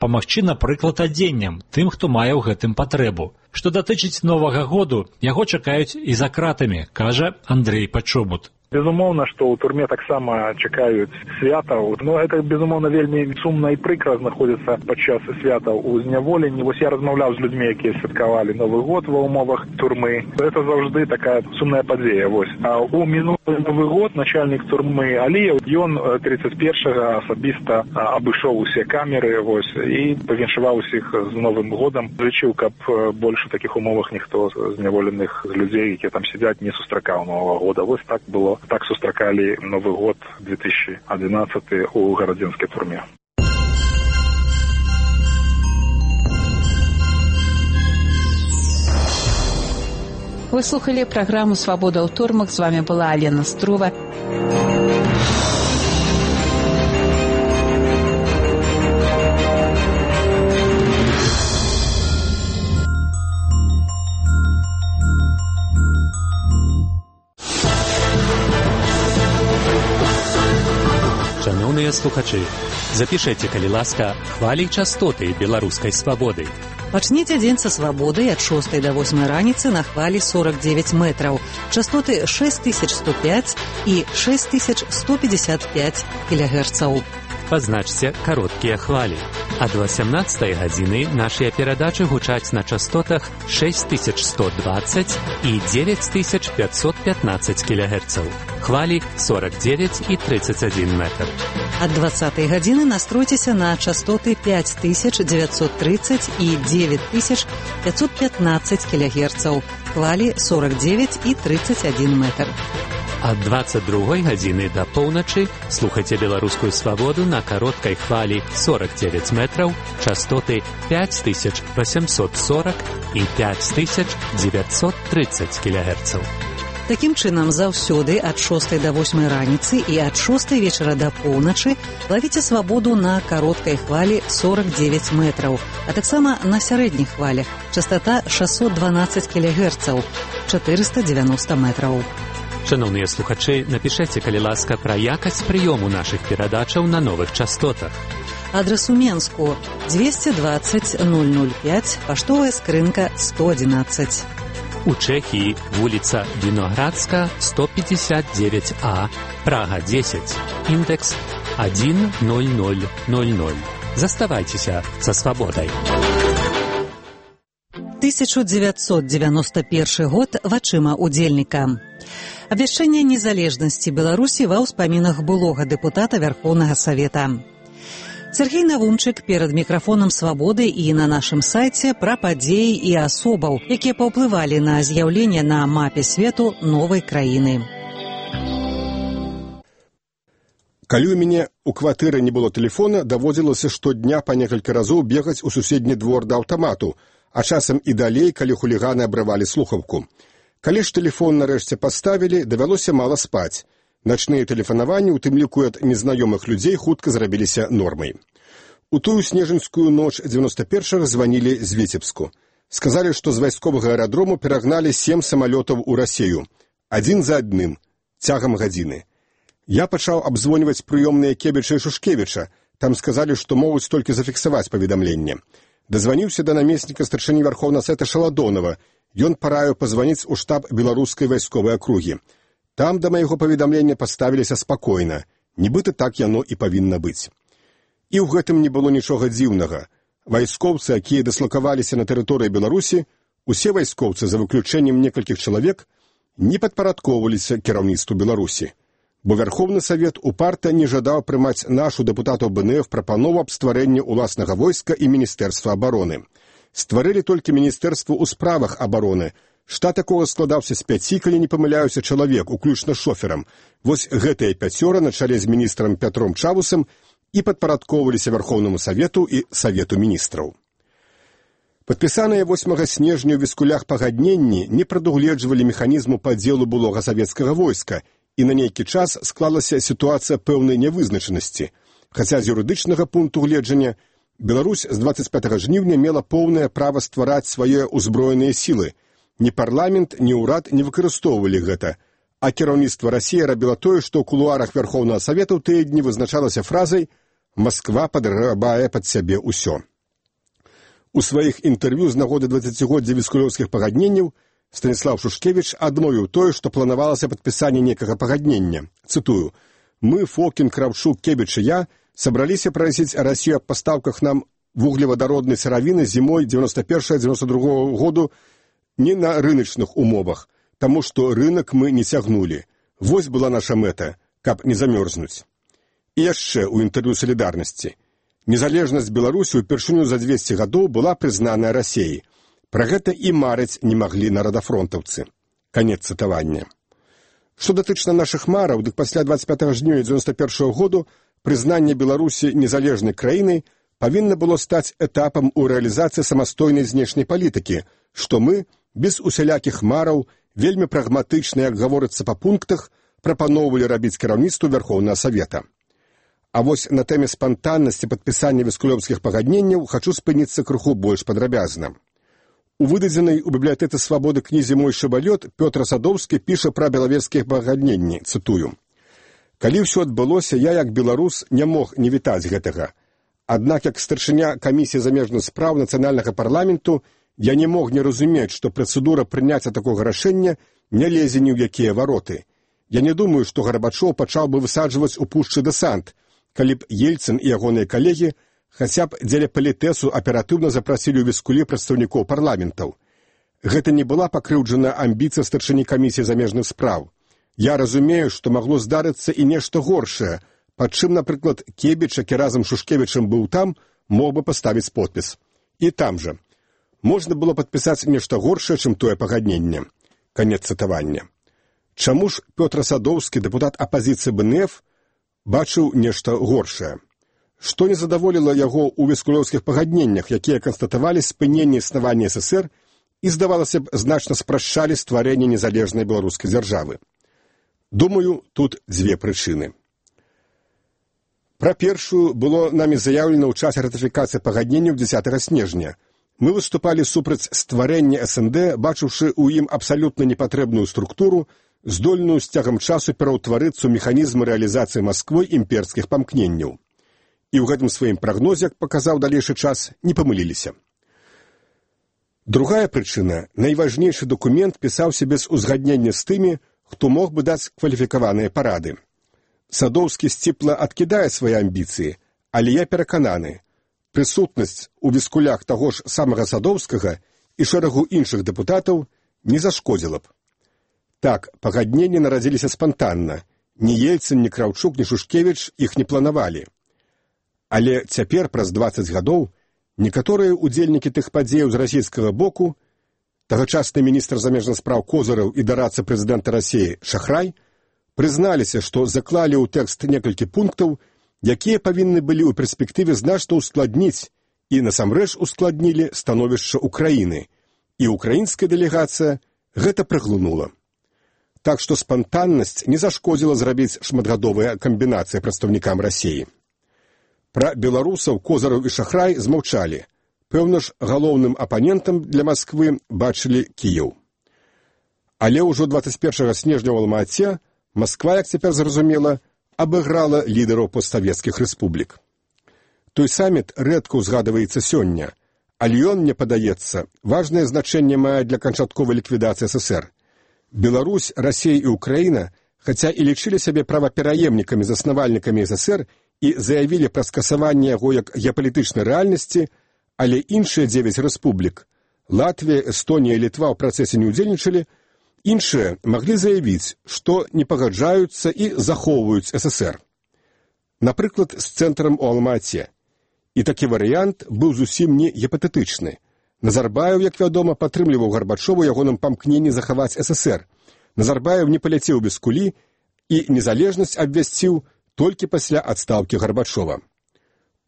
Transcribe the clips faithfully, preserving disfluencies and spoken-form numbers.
памагчы, напрыклад, адзеннем тым, хто мае ў гэтым патрэбу. Што датычыць Новага году, яго чакаюць і за кратамі, кажа Андрей Пачобут. Безумоўна, што ў турме таксама чакаюць святаў. Но гэта, безумоўна, вельмі сумна і прыкра знаходзіцца падчас святаў у зняволенні. Вось я размаўляў з людзьмі, якія святкавалі Новы год ва ўмовах турмы. Гэта заўжды такая сумная падзея. Вось. А у мінулы Новы год начальнік турмы Аліеў, ён тридцаць першага асабіста абышоў усе камеры, вось, і павіншаваў усіх з Новым годам. Зычыў, каб больш у такіх умовах ніхто з зняволеных людзей, якія там сядзяць, не сустракаў Новага года. Вось так было. Так сустракалі Новы год две тысячи одиннадцатый у гарадзенскай турме. Вы слухали праграму «Свабода ў турмах». З вами была Алена Струва. Шановныя слухачы, запішэце, калі ласка, хвалі частоты беларускай свабоды. Пачніце дзень са свабодай ад шостай да восьмай раніцы на хвалі сорок девять метраў. Частоты шесть тысяч сто пять і шесть тысяч сто пятьдесят пять кілогерцаў. Пазначце кароткія хвалі. Ад васямнаццатай гадзіны нашыя перадачы гучаць на частотах шесть тысяч сто двадцать і девять тысяч пятьсот пятнадцать кілогерцаў. Хвалі сорок девять і тридцать один метр. Ад двадцатай гадзіны настройцеся на частоты пять тысяч девятьсот тридцать і девять тысяч пятьсот пятнадцать кілогерцаў. Хвалі сорок девять і тридцать один метр. Ад двадцать другой гадзіны да поўначы слухайце беларускую свабоду на кароткай хвалі сорок девять метраў, частоты пять тысяч восемьсот сорок і пять тысяч девятьсот тридцать кілогерцаў. Такім чынам, заўсёды ад шостай да восьмай раніцы і ад шостай вечара да поўначы лавіце свабоду на кароткай хвалі сорок девять метраў, а таксама на сярэдніх хвалях частота шестьсот двенадцать кілогерцаў, четыреста девяносто метраў. Шановныя слухачы, напішэце, калі ласка, пра якасць прыёму нашых перадачаў на новых частотах. Адрес у Менску двести двадцать ноль ноль пять, паштовая скрынка сто одиннадцать. У Чэхіі вуліца Віноградска сто пятьдесят девять А, Прага десять, індекс один ноль ноль ноль ноль. Заставайцеся са свабодай. тысяча девятьсот девяносто первый год вачыма удзельніка. Абвяшчэнне незалежнасці Беларусі ва ўспамінах былога дэпутата Вярхоўнага Савета. Сергей Навумчык перад мікрафонам «Свабоды» і на нашым сайце пра падзеі і асобаў, якія паўплывалі на з'яўленне на мапе свету новай краіны. Калі ў мяне ў кватэры не было тэлефона, даводзілася штодня па некалькі разоў бегаць у суседні двор да аўтамату, а часам і далей, калі хуліганы абрывалі слухаўку. Калі ж тэлефон нарэшце паставілі, давялося мала спаць. Начныя тэлефанаванні, у тым ліку ад незнаёмых людзей, хутка зрабіліся нормай. У тую снежаньскую ноч дзевяносто першага званілі з Віцебску. Сказалі, што з вайсковага аэрадрому перагналі сем самалётаў у Расею. Адзін за адным, цягам гадзіны. Я пачаў абзвоньваць прыёмныя Кебіча і Шушкевіча. Там сказалі, што могуць толькі зафіксаваць паведамленне. Дазваніўся да намесніка старшыні Вярхоўнага Савета Шаладонова. Ён параіў пазваніць у штаб беларускай вайсковай акругі. Там да майго паведамлення паставіліся спакойна. Нібыта так яно і павінна быць. І ў гэтым не было нічога дзіўнага. Вайскоўцы, якія дыслакаваліся на тэрыторыі Беларусі, усе вайскоўцы, за выключэннем некалькіх чалавек, не падпарадкоўваліся кіраўніцтву Беларусі. Бо Вярхоўны Савет упарта не жадаў прымаць нашу дэпутатаў БНФ прапанову аб стварэнні ўласнага войска і Міністэрства абароны. Стварылі толькі Міністэрства ў справах абароны. Штат такога складаўся з пяці, калі не памыляюся, чалавек, уключна шоферам. Вось гэтыя пяцёра на чале з міністрам Пятром Чавусам і падпарадкоўваліся Вярхоўнаму Савету і Савету міністраў. Падпісаныя восьмага снежня ў Віскулях пагадненні не прадугледжвалі механізму падзелу былога савецкага войска, і на нейкі час склалася сітуацыя пэўнай нявызначанасці. Хаця з юрыдычнага пункту гледжання Беларусь з двадцать пятага жніўня мела поўнае права ствараць свае ўзброеныя сілы. Ні парламент, ні ўрад не выкарыстоўвалі гэта, а кіраўніцтва Расіі рабіла тое, што ў кулуарах Вярхоўнага Савета ў тыя дні вызначалася фразай «Масква падграбае пад сябе ўсё». У сваіх інтэрв'ю з нагоды дваццацігоддзя віскулёўскіх пагадненняў Станіслаў Шушкевіч адмовіў тое, што планавалася падпісанне некага пагаднення. Цытую: «Мы, Фокін, Кравчук, Кебіч і я, сабраліся прасіць Расію аб пастаўках нам вуглевадароднай сыравіны зімой дзевяносто першага дзевяносто другога году не на рыначных умовах, таму што рынак мы не цягнулі. Вось была наша мэта, каб не замёрзнуць». І яшчэ ў інтэрв'ю «Салідарнасці». Незалежнасць Беларусі ўпершыню за дзвесце гадоў была прызнаная Расіяй. Пра гэта і марыць не маглі нарадафронтаўцы. Канец цытавання. Што датычна нашых мараў, дык пасля дваццаць пятага жніўня дзевяносто першага году прызнанне Беларусі незалежнай краінай павінна было стаць этапам у рэалізацыі самастойнай знешняй палітыкі, што мы, без усялякіх мараў, вельмі прагматычна, як гаворыцца па пунктах, прапаноўвалі рабіць кіраўніцтву Вярхоўнага Савета. А вось на тэме спантаннасці падпісання віскулёўскіх пагадненняў хачу спыніцца крыху больш падрабязна. У выдадзенай у бібліятэцы свабоды кнізе «Мой шабалёт» Пётр Садоўскі піша пра белавежскія пагадненні, цытую: «Калі ўсё адбылося, я, як беларус, не мог не вітаць гэтага. Аднак, як старшыня камісіі замежных спраў нацыянальнага парламенту, я не мог не разумець, што працэдура прыняцця такога рашэння не лезе ні ў якія вароты. Я не думаю, што Гарбачоў пачаў бы высаджваць у пушчы дэсант, калі б Ельцын і ягоныя калегі хаця б дзеля палітэсу аператыўна запрасілі ў віскулі прадстаўнікоў парламентаў. Гэта не была пакрыўджана амбіцыя старшыні камісіі замежных спраў. Я разумею, што магло здарыцца і нешта горшае, пад чым, напрыклад, Кебіч, які разам з Шушкевічам быў там, мог бы паставіць подпіс. І там жа. Можна было падпісаць нешта горшае, чым тое пагадненне». Канец цытавання. Чаму ж Пётр Садоўскі, дэпутат апазіцыі бэ эн эф, бачыў нешта горшае? Што не задаволіла яго ў віскулёўскіх пагадненнях, якія канстатавалі спыненне існавання эс эсэр і, здавалася б, значна спрашчалі стварэнне незалежнай беларускай дзяржавы? Думаю, тут дзве прычыны. Пра першую было намі заяўлена ў часе ратыфікацыі пагадненняў дзесятага снежня. Мы выступалі супраць стварэння эс эн дэ, бачыўшы ў ім абсалютна непатрэбную структуру, здольную з цягам часу пераўтварыцца ў механізм рэалізацыі Масквой імперскіх памкненняў. І ў гэтым сваім прагнозе, як паказаў далейшы час, не памыліліся. Другая прычына, найважнейшы дакумент пісаўся без узгаднення з тымі, хто мог бы даць кваліфікаваныя парады. Садоўскі сціпла адкідае свае амбіцыі, але я перакананы, прысутнасць у віскулях таго ж самага Садоўскага і шэрагу іншых дэпутатаў не зашкодзіла б. Так, пагадненні нарадзіліся спантанна. Ні Ельцын, ні Краўчук, ні Шушкевіч іх не планавалі. Але цяпер, праз дваццаць гадоў, некаторыя ўдзельнікі тых падзеяў з расійскага боку, тагачасны міністр замежных спраў Козыраў і дарадца прэзідэнта Расіі Шахрай, прызналіся, што заклалі ў тэкст некалькі пунктаў, якія павінны былі ў перспектыве значна ускладніць і насамрэч ускладнілі становішча Украіны, і украінская дэлегацыя гэта праглынула. Так што спантаннасць не зашкодзіла зрабіць шматгадовыя камбінацыі прадстаўнікам Расіі. Пра беларусаў Козыраў і Шахрай змаўчалі. Пэўна ж, галоўным апанентам для Масквы бачылі Кіеў. Але ўжо дваццаць першага снежня ў Алма-Ате Масква, як цяпер зразумела, абыграла лідараў постсавецкіх рэспублік. Той саміт рэдка ўзгадваецца сёння, але ён, мне падаецца, важнае значэнне мае для канчатковай ліквідацыі эс эсэр. Беларусь, Расія і Украіна, хаця і лічылі сябе правапераемнікамі, заснавальнікамі эс эсэр і заявілі пра скасаванне яго як геапалітычнай рэальнасці, але іншыя дзевяць рэспублік – Латвія, Эстонія і Літва ў працэсе не ўдзельнічалі, іншыя маглі заявіць, што не пагаджаюцца і захоўваюць эс эсэр. Напрыклад, з цэнтрам у Алма-Ате. І такі варыянт быў зусім не гіпатэтычны. Назарбаеў, як вядома, падтрымліваў Гарбачова ягоным памкненні захаваць эс эсэр. Назарбаеў не паляцеў без кулі і незалежнасць абвясціў толькі пасля адстаўкі Гарбачова.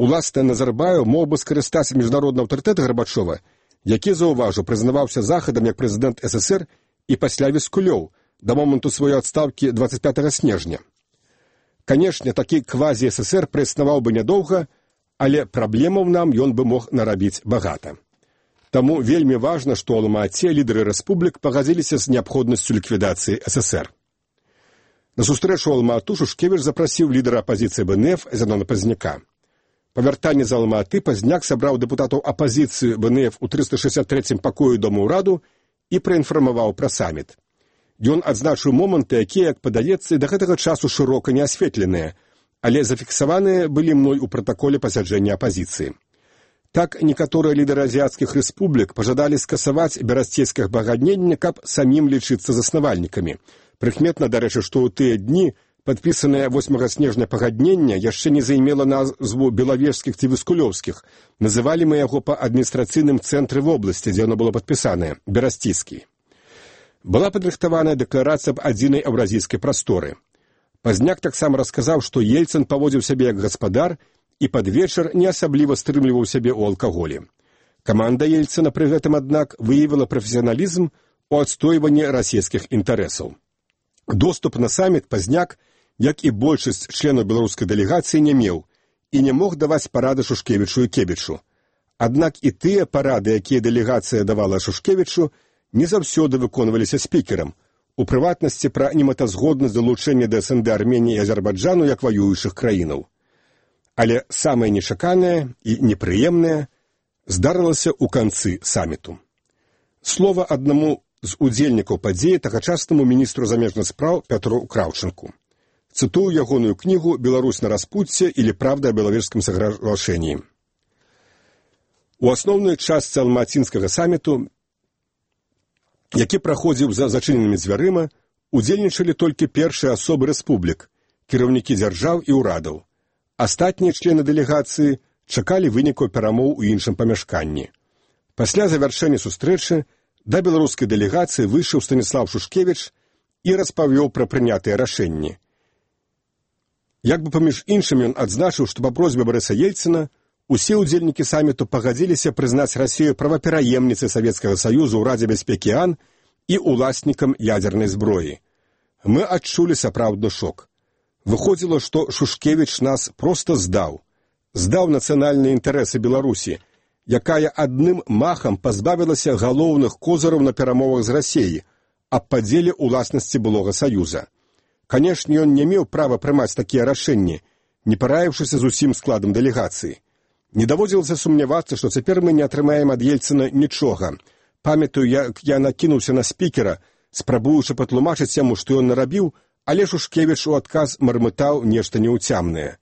Уласна, Назарбаеў мог бы скарыстаць міжнародны аўтарытэт Гарбачова, які, заўважу, прызнаваўся захадам як прэзідэнт эс эсэр і пасля віскулёў да моманту сваёй адстаўкі дваццаць пятага снежня. Канешне, такі квазі-эс эсэр праіснаваў бы нядоўга, але праблемаў нам ён бы мог нарабіць багата. Таму вельмі важна, што ў Алма-Ате лідары рэспублік пагадзіліся з неабходнасцю ліквідацыі эс эсэр. На сустрэчу ў Алма-Ату Шушкевіч запрасіў лідара апазіцыі бэ эн эф Зянона Пазняка. Па вяртанні з Алматы Пазняк сабраў дэпутатаў апазіцыі вэ эн эф у трыста шэсцьдзесят трэцім пакоі Дома ўраду і праінфармаваў пра саміт. Ён адзначыў моманты, якія, як падаецца, да гэтага часу шырока не асветленыя, але зафіксаваныя былі мной у пратаколе пасяджэння апазіцыі. Так, некаторыя лідары азіяцкіх рэспублік пажадалі скасаваць берасцейскае пагадненне, каб самім лічыцца заснавальнікамі. Прыкметна, дарэчы, што ў тыя дні падпісанае восьмага снежня пагаднення яшчэ не займела назву белавежскіх ці віскулёўскіх. Называлі мы яго па адміністрацыйным цэнтры вобласці, дзе яно было падпісанае, берасційскі. Была падрыхтаваная дэкларацыя аб адзінай еўразійскай прасторы. Пазняк таксама расказаў, што Ельцын паводзіў сябе як гаспадар і пад вечар не асабліва стрымліваў сябе ў алкаголі. Каманда Ельцына пры гэтым, аднак, выявіла прафесіяналізм у адстойванні расійскіх інтарэсаў. Доступ на саміт Пазняк, як і большасць членаў беларускай дэлегацыі, не меў і не мог даваць парады Шушкевічу і Кебічу. Аднак і тыя парады, якія дэлегацыя давала Шушкевічу, не заўсёды выконваліся спікерам, у прыватнасці пра немэтазгоднасць далучэння да эс эн дэ Арменіі і Азербайджану як ваюючых краінаў. Але самае нечаканае і непрыемнае здарылася ў канцы саміту. Слова аднаму з удзельнікаў падзеі тагачаснаму міністру замежных спраў Пятру Краўчынку. Цытую ягоную кнігу «Беларусь на распутце» или «Правда о беловежском соглашении». У асноўнай частцы алматинскага саміту, які праходзіў за зачыненымі дзвярыма, удзельнічалі толькі першыя асобы рэспублік, кіраўнікі дзяржаў і ўрадаў. Астатнія члены дэлегацыі чакалі вынікаў перамоў у іншым памяшканні. Пасля завяршэння сустрэчы да беларускай дэлегацыі выйшаў Станіслав Шушкевіч і распавёў пра прынятыя рашэнні. Як бы паміж іншым ён адзначыў, што па просьбе Барыса Ельцына усе ўдзельнікі саміту пагадзіліся прызнаць Расію правапераемніцай Савецкага Саюзу ў Радзе бяспекі АН і уласнікам ядзернай зброі. Мы адчулі сапраўдны шок. Выходзіла, што Шушкевіч нас проста здаў. Здаў нацыянальныя інтарэсы Беларусі, якая адным махам пазбавілася галоўных козыраў на перамовах з Расіяй аб падзеле ўласнасці былога Саюза. Канешне, ён не меў права прымаць такія рашэнні, не параіўшыся з усім складам дэлегацыі. Не даводзілася сумнявацца, што цяпер мы не атрымаем ад Ельцына нічога. Памятаю, як я накінуўся на спікера, спрабуючы патлумачыць яму, што ён нарабіў, але Шушкевіч у адказ мармытаў нешта неўцямнае.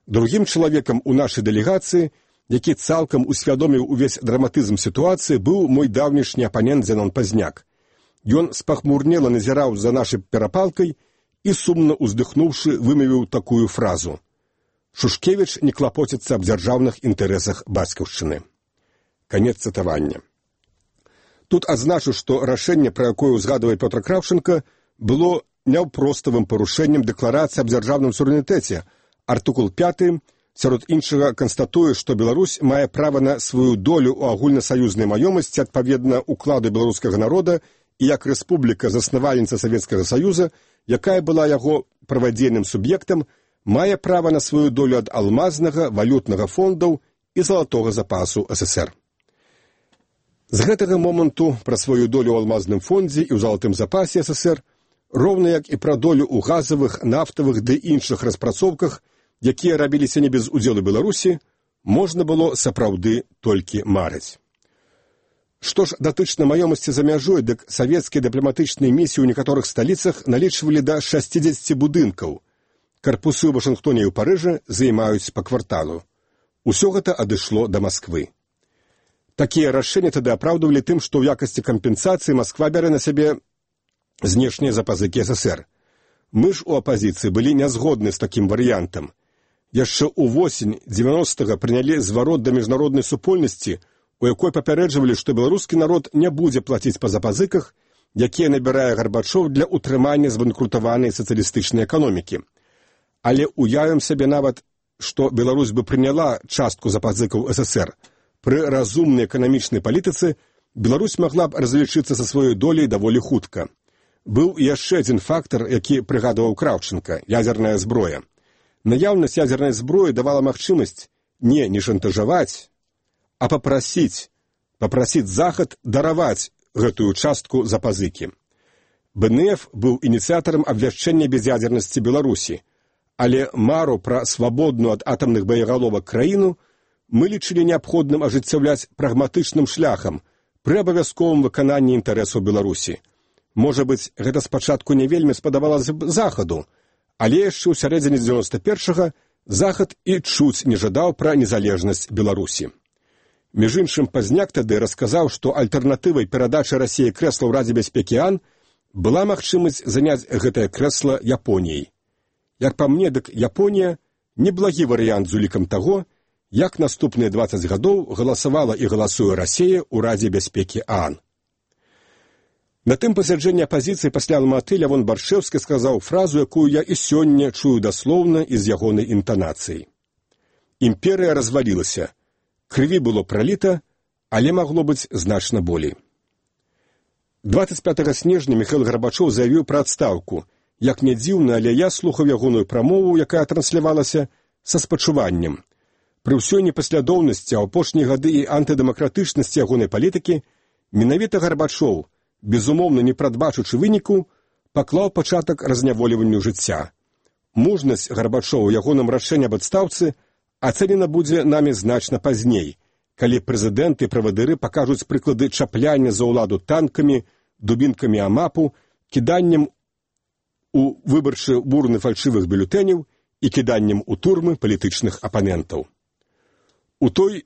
Другім чалавекам у нашай дэлегацыі, які цалкам усвядоміў увесь драматызм сітуацыі, быў мой даўнішні апанент Зенон Пазняк. Ён спахмурнела назіраў за нашай перапалкай і, сумна ўздыхнуўшы, вымавіў такую фразу: «Шушкевіч не клапоціцца аб дзяржаўных інтарэсах бацькаўшчыны». Канец цытавання. Тут адзначу, што рашэнне, пра якое ўзгадвае Пётр Краўчынка, было няўпроставым парушэннем дэкларацыі аб дзяржаўным суверэнітэце. Артыкул пяты, сярод іншага, канстатуе, што Беларусь мае права на сваю долю ў агульнасаюзнай маёмасці адпаведна укладу беларускага народа і як рэспубліка-заснавальніца Савецкага Саюза, якая была яго правадзейным суб'ектам, мае права на сваю долю ад алмазнага, валютнага фондаў і залатога запасу эс эс эр. З гэтага моманту пра сваю долю ў алмазным фондзе і ў залатым запасе эс эс эр, роўна як і пра долю ў газавых, нафтавых ды іншых распрацоўках, якія рабіліся не без удзелу Беларусі, можна было сапраўды толькі марыць. Што ж датычна маёмасці за мяжой, дык савецкія дыпламатычныя місіі ў некаторых сталіцах налічвалі да шасцідзесяці будынкаў. Карпусы ў Вашынгтоне і ў Парыжы займаюць па кварталу. Усё гэта адышло да Масквы. Такія рашэнні тады апраўдвалі тым, што ў якасці кампенсацыі Масква бярэ на сябе знешнія запазыкі эс эс эр. Мы ж у апазіцыі былі нязгодны з такім варыянтам. Яшчэ ўвосень дзевяностага прынялі зварот да міжнароднай супольнасці, у якой папярэджвалі, што беларускі народ не будзе плаціць па запазыках, якія набірае Гарбачоў для ўтрымання збанкрутаванай сацыялістычнай эканомікі. Але уявім сабе нават, што Беларусь бы прыняла частку запазыкаў эс эс эр. Пры разумнай эканамічнай палітыцы Беларусь магла б разлічыцца са сваёй доляй даволі хутка. Быў яшчэ адзін фактар, які прыгадваў Краўчынка – ядзерная зброя. Наяўнасць ядзернай зброі давала магчымасць не не шантажаваць, а папрасіць, папрасіць Захад дараваць гэтую частку запазыкі. бэ эн эф быў ініцыятарам абвяшчэння без'ядзернасці Беларусі, Але мару пра свабодную ад атамных боегаловак краіну мы лічылі неабходным ажыццяўляць прагматычным шляхам пры абавязковым выкананні інтарэсаў Беларусі. Можа быць, гэта спачатку не вельмі спадабалася б Захаду, але яшчэ ў сярэдзіне дзевяноста першага Захад і чуць не жадаў пра незалежнасць Беларусі. Між іншым, Пазняк тады расказаў, што альтэрнатывай перадачы Расіі крэсла ў Радзе бяспекі АН была магчымасць заняць гэтае крэсла Японіяй. Як па мне, дык Японія неблагі варыянт з улікам таго, як наступныя дваццаць гадоў галасавала і галасуе Расія ў Радзе бяспекі АН. На тым пасяджэнні апазіцыі пасля Алматы Лявон Баршэўскі сказаў фразу, якую я і сёння чую даслоўна і з ягонай інтанацыяй. Імперыя развалілася, крыві было праліта, але магло быць значна болей. дваццаць пятага снежня Міхаіл Гарбачоў заявіў пра адстаўку. Як не дзіўна, але я слухаў ягоную прамову, якая транслявалася, са спачуваннем. Пры ўсёй непаслядоўнасці, а ў апошнія гады і антыдэмакратычнасці ягонай палітыкі, менавіта Гарбачоў, безумоўна не прадбачучы выніку, паклаў пачатак разняволіванню жыцця. Мужнасць Гарбачоў у ягоным рашэнні аб адстаўцы ацэнена будзе намі значна пазней, калі прэзідэнты і правадыры пакажуць прыклады чапляння за ўладу танкамі, дубінкамі амапу, кіданнем у выбарчы бурны фальшывых бюлетэняў і кіданнем у турмы палітычных апанентаў. У той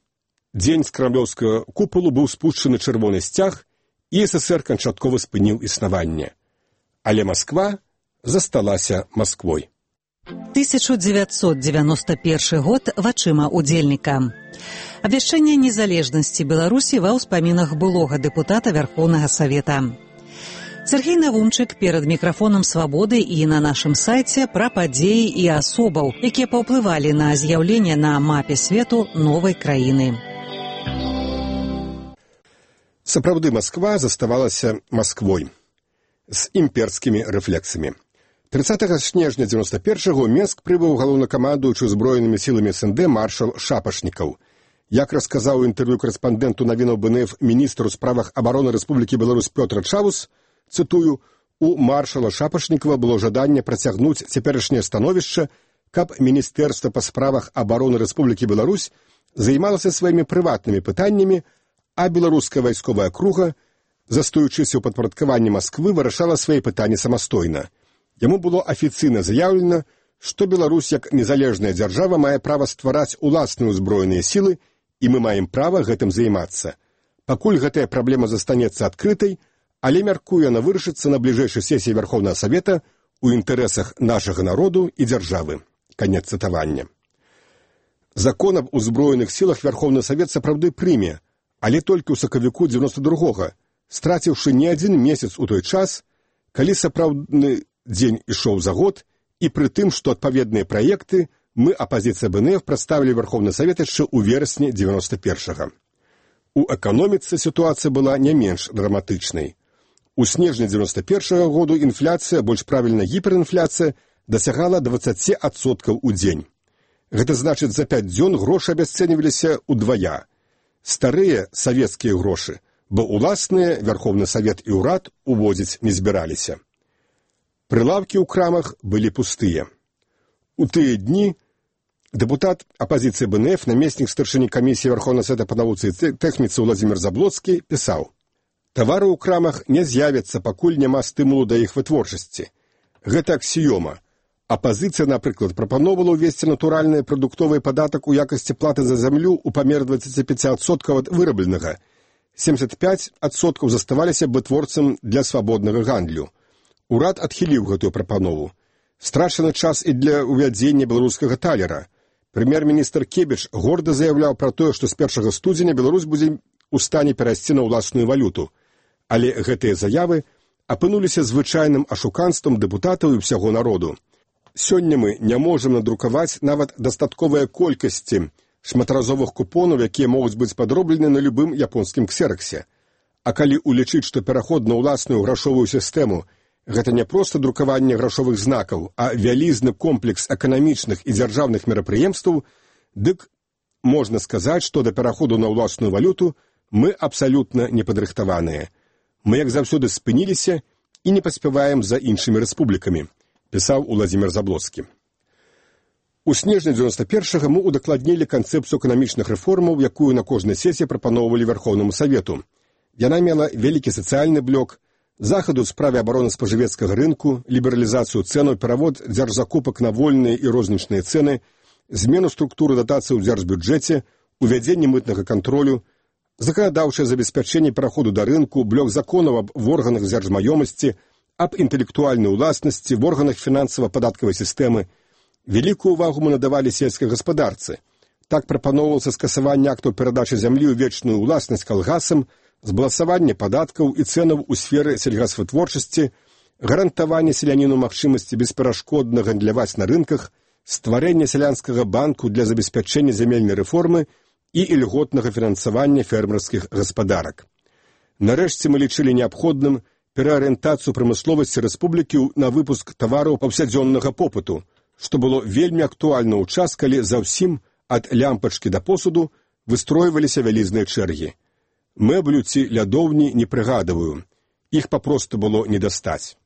дзень з крамлёўскага купалу быў спушчаны чырвоны сцяг, і СССР канчаткова спыніў існаванне. Але Масква засталася Масквой. тысяча дзевяцьсот дзевяносто першы год вачыма удзельніка. Абвяшчэнне незалежнасці Беларусі ва ўспамінах былога дэпутата Вярхоўнага Савета. Сергей Навумчык перад мікрафонам «Свабоды» і на нашым сайце пра падзеі і асобаў, якія паўплывалі на з'яўленне на мапе свету новай краіны. Сапраўды, Масква заставалася Масквой з імперскімі рэфлексамі. трыццатага снежня дзевяноста першага ў Менск прыбыў галоўнакамандуючы ўзброенымі сіламі СНД маршал Шапашнікаў. Як расказаў у інтэрв'ю карэспандэнту навінаў БНФ міністру ў справах абароны Рэспублікі Беларусь Пётр Чавус, цытую, у маршала Шапашнікава было жаданне працягнуць цяперашняе становішча, каб Міністэрства па справах абароны Рэспублікі Беларусь займалася сваімі прыватнымі пытаннямі, а беларуская вайсковая круга, застаючыся ў падпарадкаванні Масквы, вырашала свае пытанні самастойна. Яму было афіцыйна заяўлена, што Беларусь як незалежная дзяржава мае права ствараць уласныя ўзброеныя сілы, і мы маем права гэтым займацца. Пакуль гэтая праблема застанецца адкрытай, але мяркую яна вырашыцца на бліжэйшай сесіі Вярхоўнага Савета ў інтарэсах нашага народу і дзяржавы. Канец цытавання. Закон аб узброеных сілах Вярхоўны Савет сапраўды прыме, але толькі ў сакавіку дзевяноста другога, страціўшы не адзін месяц у той час, калі сапраўдны дзень ішоў за год, і пры тым, што адпаведныя праекты мы, апазіцыя БНФ, прадставілі Вярхоўны Савет яшчэ ў верасні дзевяноста першага. У эканоміцы сітуацыя была не менш драматычнай. У снежні дзевяноста першага году інфляцыя, больш правільна гіперінфляцыя, дасягала дваццаць адсоткаў у дзень. Гэта значыць, за пяць дзён грошы абясцэньваліся ўдвая. Старыя савецкія грошы, бо уласныя Вярхоўны Савет і ўрад уводзіць не збіраліся. Прылаўкі ў крамах былі пустыя. У тыя дні дэпутат апазіцыі БНФ, намеснік старшыні камісіі Вярхоўнага Савета па навуцы і тэхніцы Владзімір Заблоцкі пісаў: «Тавары ў крамах не з'явяцца, пакуль няма стымулу да іх вытворчасці. Гэта аксіёма. Апазіцыя, напрыклад, прапаноўвала ўвесці натуральны прадуктовы падатак у якасці платы за зямлю ў памер дваццаць пяць адсоткаў ад вырабленага. семьдесят пять адсоткаў заставаліся вытворцам для свабоднага гандлю. Урад адхіліў гэтую прапанову. Страчаны час і для ўвядзення беларускага талера. Прэм'ер-міністр Кебіч горда заяўляў пра тое, што з першага студзеня Беларусь будзе у стане перайсці на ўласную валюту. Але гэтыя заявы апынуліся звычайным ашуканствам дэпутатаў і ўсяго народу. Сёння мы не можам надрукаваць нават дастатковыя колькасці шматразовых купонаў, якія могуць быць падроблены на любым японскім ксераксе. А калі улічыць, што пераход на ўласную грашовую сістэму – гэта не проста друкаванне грашовых знакаў, а вялізны комплекс эканамічных і дзяржаўных мерапрыемстваў, дык можна сказаць, што да пераходу на ўласную валюту мы абсалютна не падрыхтаваныя. Мы, як заўсёды, спыніліся і не паспяваем за іншымі рэспублікамі, пісаў Уладзімір Заблоцкі. У снежні дзевяносто першага мы удакладнілі канцэпцыю эканамічных рэформаў, якую на кожнай сесіі прапаноўвалі Вярхоўнаму Савету. Яна мела вялікі сацыяльны блок, захаду ў справе абароны спажывецкага рынку, лібералізацыю цэнаў, перавод дзяржзакупак на вольныя і рознічныя цэны, змену структуры датацый у дзяржбюджэце, увядзенне мытнага кантролю, заканадаўчае забеспячэнне пераходу да рынку, блок законаў аб органах дзяржмаёмасці, аб інтэлектуальнай уласнасці, в органах фінансава-падаткавай сістэмы. Вялікую увагу мы надавалі сельскай гаспадарцы. Так прапаноўвалася скасаванне актаў перадачы зямлі ў вечную ўласнасць калгасам, збалансаванне падаткаў і цэнаў у сферы сельгасвытворчасці, гарантаванне селяніну магчымасці бесперашкодна гандляваць на рынках, стварэнне сялянскага банку для забеспячэння зямельнай рэформы і ільготнага фінансавання фермерскіх гаспадарак. Нарэшце мы лічылі неабходным пераарыентацыю прамысловасці рэспублікі на выпуск тавараў паўсядзённага попыту, што было вельмі актуальна ў час, калі за ўсім, ад лямпачкі да посуду, выстройваліся вялізныя чэргі. Мэблю ці лядоўні не прыгадываю. Іх папросту было не дастаць.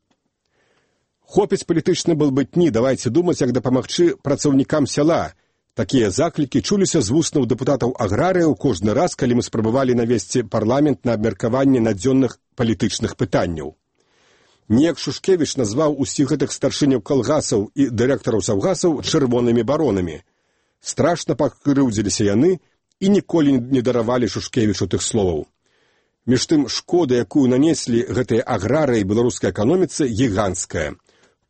Хопіць палітычны балбытні, давайце думаць, як дапамагчы працаўнікам сяла. Такія заклікі чуліся з вуснаў дэпутатаў аграрыяў кожны раз, калі мы спрабавалі навесці парламент на абмеркаванне надзённых палітычных пытанняў. Неяк Шушкевіч назваў усіх гэтых старшыняў калгасаў і дырэктараў саўгасаў чырвонымі баронамі. Страшна пакрыўдзіліся яны і ніколі не даравалі Шушкевічу тых словаў. Між тым, шкода, якую нанеслі гэтыя аграрыі беларускай эканоміцы, гіганцкая.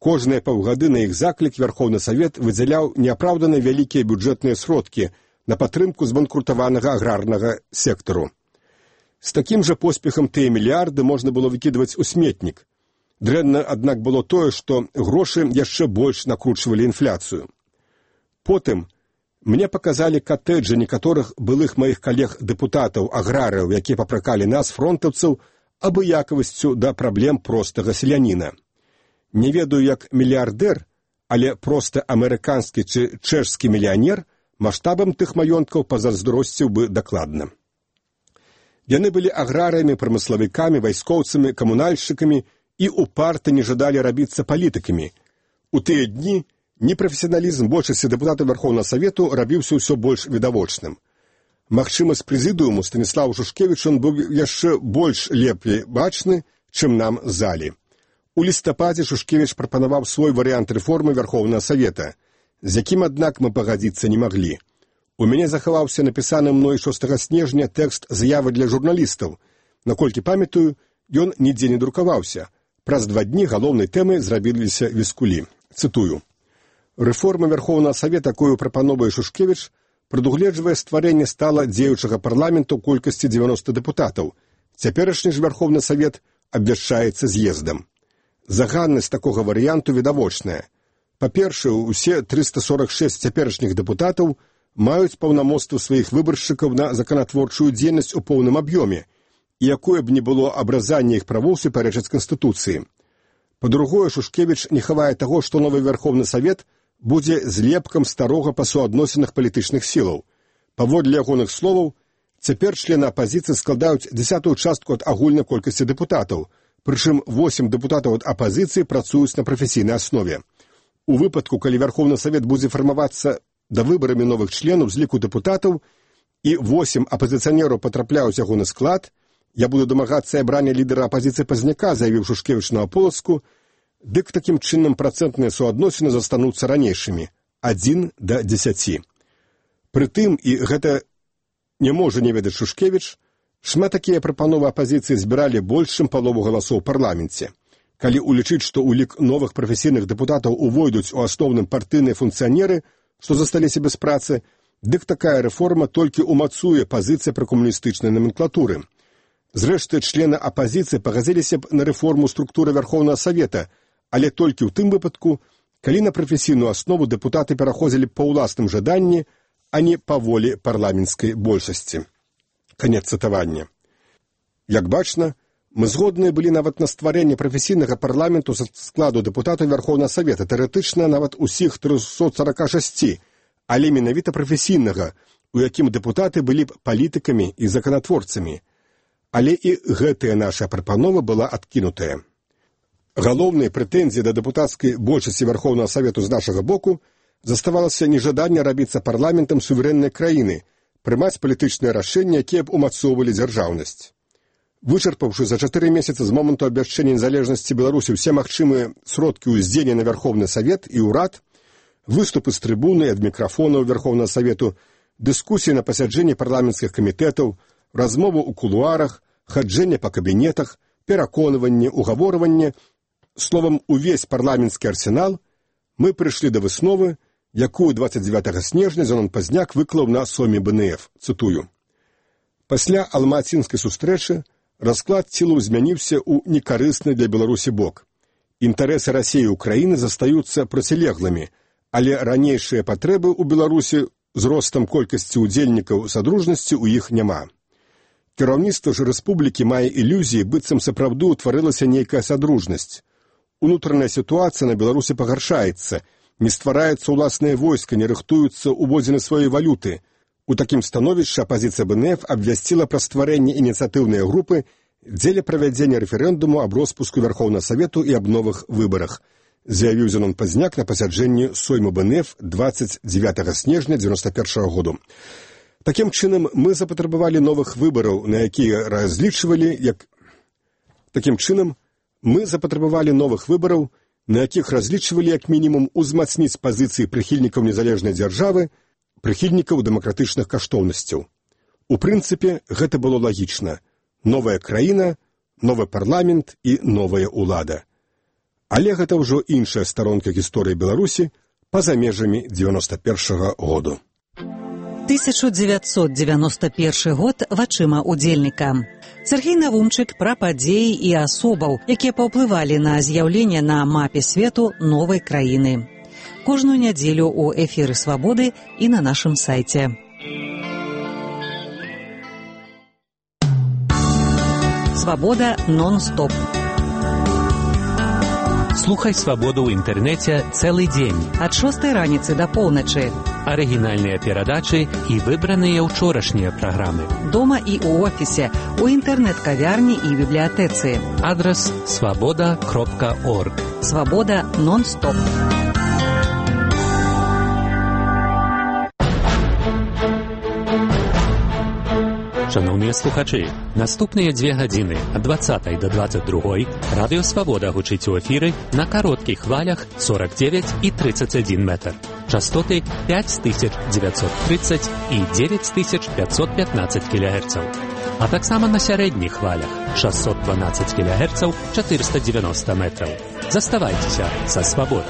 Кожныя паўгады на іх заклік Вярхоўны Савет выдзяляў неапраўдана вялікія бюджэтныя сродкі на падтрымку збанкрутаванага аграрнага сектару. З такім жа поспехам тыя мільярды можна было выкідваць у сметнік. Дрэнна, аднак, было тое, што грошы яшчэ больш накручвалі інфляцыю. Потым мне паказалі катэджы некаторых былых маіх калег-дэпутатаў, аграрыяў, якія папракалі нас, фронтаўцаў, абыякавасцю да праблем простага селяніна. Не ведаю, як мільярдэр, але проста амерыканскі ці чэшскі мільянер маштабам тых маёнткаў пазайздросціў бы дакладна. Яны былі аграрыямі, прамыславікамі, вайскоўцамі, камунальшчыкамі, і упарта не жадалі рабіцца палітыкамі. У тыя дні непрафесіяналізм большасці дэпутатаў Вярхоўнага Савету рабіўся ўсё больш відавочным. Магчыма, з прэзідыуму Станіславу Шушкевічу ён быў яшчэ больш лепей бачны, чым нам залі. У лістападзе Шушкевіч прапанаваў свой варыянт рэформы Вярхоўнага Савета, з якім, аднак, мы пагадзіцца не маглі. У мяне захаваўся напісаны мной шостага снежня тэкст заявы для журналістаў. Наколькі памятаю, ён нідзе не друкаваўся. Праз два дні галоўнай тэмай зрабіліся віскулі. Цытую. Рэформа Вярхоўнага Савета, якую прапановвае Шушкевіч, прадугледжвае стварэнне стала дзеючага парламенту колькасці дзевяноста дэпутатаў. Цяперашні ж Вярхоўны Савет абвяшчаецца з'ездам. Заганнасць такога варыянту відавочная. Па-першае, усе трыста сорак шэсць цяперашніх дэпутатаў маюць паўнамоцтва сваіх выбаршчыкаў на законатворчую дзейнасць у поўным аб'ёме, і якое б не было абразанне іх правоў супярэчыць Канстытуцыі. Па-другое, Шушкевіч не хавае таго, што новы Вярхоўны Савет будзе злепкам старога па суадносінах палітычных сілаў. Паводле ягоных словаў, цяпер члены апазіцыі складаюць дзесятую частку ад агульнай колькасці дэпутатаў, прычым восем дэпутатаў ад апазіцыі працуюць на прафесійнай аснове. У выпадку, калі Вярхоўны Савет будзе фармавацца да выбарамі новых членаў з ліку дэпутатаў і восем апазіцыянераў патрапляюць ягоны склад, я буду дамагацца абрання лідара апазіцыі Пазняка, заявіў Шушкевіч на Аполаску, дык такім чынам працэнтныя суадносіны застануцца ранейшымі – адзін да дзесяці. Прытым, і гэта не можа не ведаць Шушкевіч, шмат такія прапановы апазіцыі збіралі больш, чым палову галасоў у парламенце. Калі улічыць, што ў лік новых прафесійных дэпутатаў увойдуць у асноўным партыйныя функцыянеры, што засталіся без працы, дык такая рэформа толькі умацуе пазіцыі пракомуністычнай номенклатуры. Зрэшты, члены апазіцыі пагадзіліся б на рэформу структуры Вярхоўнага Савета, але толькі ў тым выпадку, калі на прафесійную аснову дэпутаты пераходзілі па ўласным жаданні, а не па волі парламенцкай большасці. Канец цытавання. Як бачна, мы згодныя былі нават на стварэнне прафесійнага парламенту са складу дэпутатаў Вярхоўнага Савета, тэарэтычна нават усіх трыста сорок шэсць, але менавіта прафесійнага, у якім дэпутаты былі б палітыкамі і законатворцамі. Але і гэтая наша прапанова была адкінутая. Галоўныя прэтэнзіі да дэпутацкай большасці Вярхоўнага Савету з нашага боку заставалася нежаданне рабіцца парламентам суверэннай краіны, прымаць палітычныя рашэнні, якія б умацоўвалі дзяржаўнасць. Вычарпаўшы за чатыры месяцы з моманту абвяшчэння незалежнасці Беларусі ўсе магчымыя сродкі ўздзеяння на Верховны Савет і ўрад, выступы з трыбуны ад мікрафонаў Верховнага Савету, дыскусіі на пасяджэнні парламенцкіх камітэтаў, размовы ў кулуарах, хаджэнне па кабінетах, пераконванне, угаворванне, словам, увесь парламенцкі арсенал, мы прыйшлі да высновы, якую дваццаць дзевятага снежня Зенон Пазняк выклаў на соме бэ эн эф, цытую. Пасля алмацінскай сустрэчы расклад сілаў змяніўся ў некарысны для Беларусі бок. Інтарэсы Расіі і Украіны застаюцца процілеглымі, але ранейшыя патрэбы ў Беларусі з ростам колькасці ўдзельнікаў садружнасці ў іх няма. Кіраўніцтва ж рэспублікі мае ілюзіі, быццам сапраўды ўтварылася нейкая садружнасць. Унутраная сітуацыя на Беларусі пагаршаецца, не ствараецца ўласнае войска, не рыхтуюцца ўводзіны сваёй валюты. У такім становішчы апазіцыя бэ эн эф абвясціла пра стварэнне ініцыятыўнай групы дзеля правядзення рэферэндуму аб роспуску Верховнага Савету і аб новых выбарах, заявіў Зенон Пазняк на пасяджэнні сойму бэ эн эф дваццаць дзевятага снежня дзевяноста першага году. Такім чынам, мы запатрабавалі новых выбараў, на якія разлічвалі, як... Такім чынам, мы запатрабавалі новых выбараў, на якіх разлічвалі як мінімум узмацніць пазіцыі прыхільнікаў незалежнай дзяржавы, прыхільнікаў дэмакратычных каштоўнасцяў. У прынцыпе, гэта было лагічна. Новая краіна, новы парламент і новая ўлада. Але гэта ўжо іншая старонка гісторыі Беларусі па-за межамі дзевяноста першага году. тысяча дзевяцьсот дзевяноста першы год вачыма удзельніка. Сергей Навумчык пра падзеі і асобаў, якія паўплывалі на з'яўленне на мапе свету новай краіны. Кожную нядзелю ў эфіры «Свабоды» і на нашым сайце. «Свабода нон-стоп». Слухай «Свабоду» ў інтэрнэце цэлы дзень. Ад шостай раніцы да поўначы. Арыгінальныя перадачы і выбраныя ўчорашнія праграмы. Дома і ў офісе, у інтэрнэт-кавярні і бібліятэцы. Адрас свабода кропка орг. «Свабода нон-стоп». Шановныя слухачы, наступныя дзве гадзіны ад дваццатай да дваццаць другой радыё «Свабода» гучыць у эфіры на кароткіх хвалях сорок девять і тридцать один метр. Частоты пять тысяч девятьсот тридцать і девять тысяч пятьсот пятнадцать кілогерцаў. А таксама на сярэдніх хвалях шестьсот двенадцать кілогерцаў, четыреста девяносто метраў. Заставайцеся са «Свабодай».